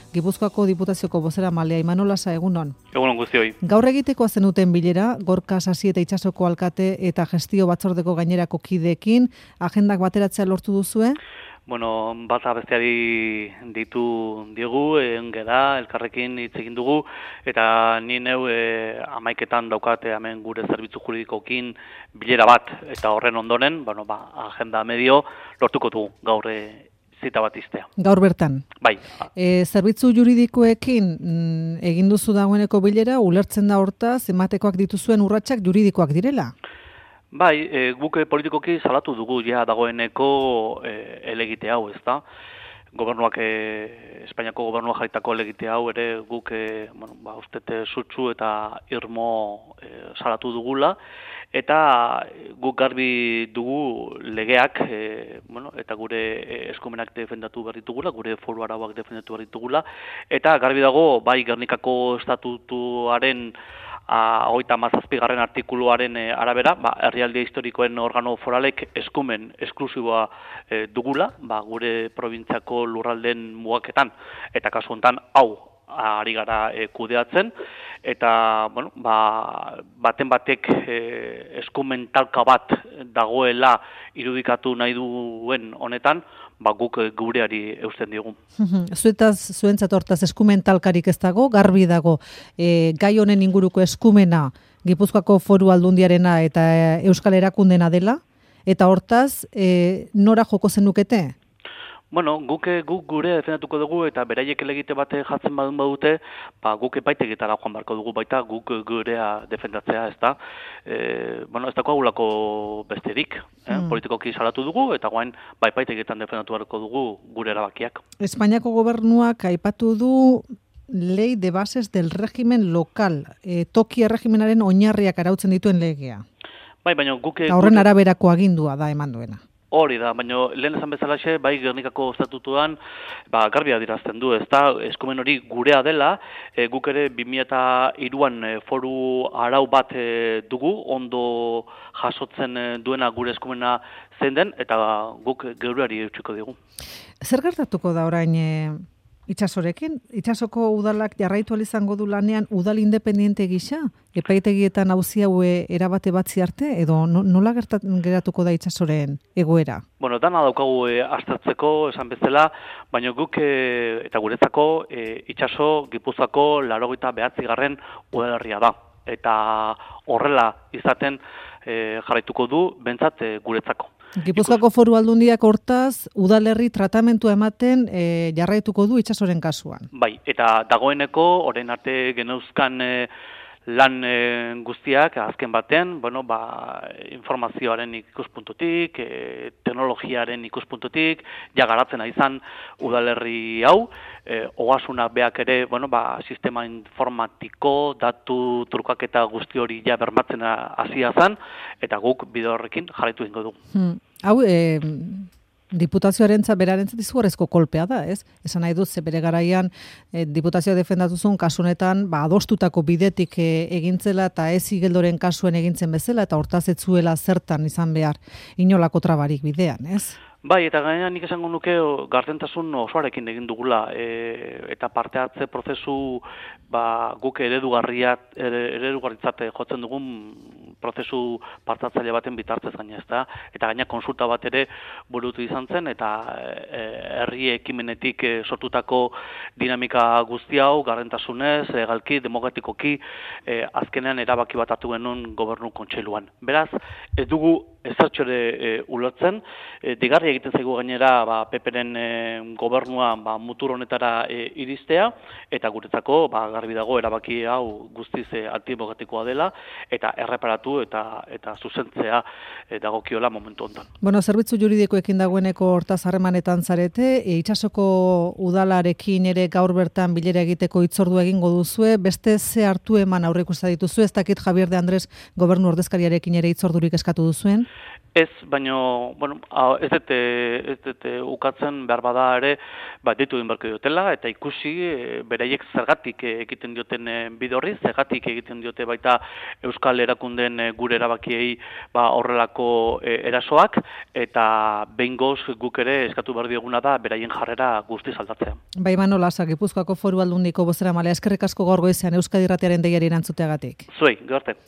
Gipuzkoako Diputazioko bozeramalea Imanol Lasa, egunon. Egunon guztioi. Gaur egitekoa zenuten bilera, Gorka Sasi eta Itsasoko alkate eta gestio batzordeko gainerako kideekin, agendak bateratzea lortu duzue? Bueno, bata besteari diegu, engera, elkarrekin hitz egin dugu, eta ni neu 11etan daukate hemen gure zerbitzu juridikokin bilera bat, eta horren ondoren, agenda medio lortuko dugu gaur zita bat iztea. Gaur bertan? Bai. Zerbitzu juridikoekin egin duzu dagoeneko bilera, ulertzen da hortaz, ematekoak dituzuen urratsak juridikoak direla? Bai, guk politikoki salatu dugu ja dagoeneko elegite hau, ezta? Gobernuak, Espainiako gobernuak jarritako elegite hau ere guk ustete sutsu eta irmo salatu dugula, eta guk garbi dugu legeak, eta gure eskumenak defendatu behar ditugula, gure foru arauak defendatu behar ditugula, eta garbi dago, bai Gernikako estatutuaren 37. artikuluaren arabera, herrialde historikoen organo foralek eskumen esklusiboa dugula, gure probintziako lurralden mugaketan, eta kasu honetan hau ari gara kudeatzen, eta baten batek eskumen talka bat dagoela irudikatu nahi duen honetan, guk gureari eusten diogu. Zuentzat hortaz eskumen talkarik ez dago, garbi dago, gai honen inguruko eskumena Gipuzkoako Foru Aldundiarena eta Euskal Erakundena dela, eta hortaz nora joko zenukete? Bueno, guk gure defendatuko dugu eta beraiek elegite bate jatzen badute, guk epaitegitara joan barko dugu baita, guk gurea defendatzea, ezta. Ez dako agulako besterik, politikoki salatu dugu, eta guain epaitegitan defendatu barko dugu gure erabakiak. Espainiako gobernuak aipatu du Ley de Bases del Régimen Local, toki erregimenaren oinarriak arautzen dituen legea. Bai, baina guk... Horren araberako agindua da eman duena. Hori da, baina lehen esan bezalaxe, bai Gernikako estatutuan garbi adierazten du, ezta, eskumen hori gurea dela, guk ere 2003an foru arau bat dugu, ondo jasotzen duena gure eskumena zein den, eta guk geureari eutxiko dugu. Zer gertatuko da orain Itsasorekin? Itsasoko udalak jarraitu ahal izango du lanean udal independiente gisa? Epaitegietan auzi hau erabate batzi arte? Edo nola geratuko da Itsasoren egoera? Bueno, dana daukagu aztertzeko esan bezala, baina guk eta guretzako Itsaso Gipuzkoako 89. udalerria da. Eta horrela izaten jarraituko du behintzat guretzako. Gipuzkoako Foru Aldundiak hortaz udalerri tratamentua ematen jarraituko du Itsasoren kasuan. Bai, eta dagoeneko orain arte geneuzkan lan guztiak azken batean, informazioaren ikuspuntutik, teknologiaren ikuspuntutik, garatzen izan udalerri hau, ogasunak beak ere, sistema informatiko, datu trukaketa guzti hori bermatzen hasia zen, eta guk bide horrekin jarraitu egingo dugu. Hau, Diputazioarentzat berarentzat izugarrizko kolpea da, ez? Esan nahi dut, bere garaian diputazioa defendatuzun kasunetan, adostutako bidetik egintzela eta ez igeldoren kasuen egintzen bezala, eta hortaz ez zuela zertan izan behar inolako trabarik bidean, ez? Bai, eta gaina nik esango nuke gardentasun osoarekin egin dugula, eta parte hartze prozesu guk eredugarritzat jotzen dugun prozesu partatzaile baten bitartez gaina, ezta? Eta gaina konsulta bat ere burutu izan zen, eta herri ekimenetik sortutako dinamika guzti hau, gardentasunez, legalki, demokratikoki, azkenean erabaki bat hartu genuen gobernu kontseiluan. Beraz, ez dugu ezertxore ulertzen, digarri egiten zaigu gainera PP-ren gobernua mutur honetara iristea, eta guretzako garbi dago erabaki hau guztiz antidemokratikoa dela, eta erreparatu eta zuzentzea dagokiola momentu honetan. Bueno, zerbitzu juridikoekin dagoeneko hortaz harremanetan zarete, Itsasoko udalarekin ere gaur bertan bilera egiteko hitzordu egingo duzue, beste ze hartu eman aurreikusten dituzue, ez dakit Javier de Andrés gobernu ordezkariarekin ere hitzordurik eskatu duzuen? Ez, baino, bueno, ez dute ukatzen behar bada ere, deitu egin beharko diotela, eta ikusi beraiek zergatik egiten dioten bide horri, zergatik egiten diote baita Euskal Erakundeen gure erabakiei horrelako erasoak, eta behingoz guk ere eskatu behar dioguna da beraien jarrera guztiz aldatzea. Bai, Imanol Lasa, Gipuzkoako Foru Aldundiko bozeramaileak, eskerrik asko gaur goizean Euskadi Irratiaren deiari erantzuteagatik. Zuei, gero arte.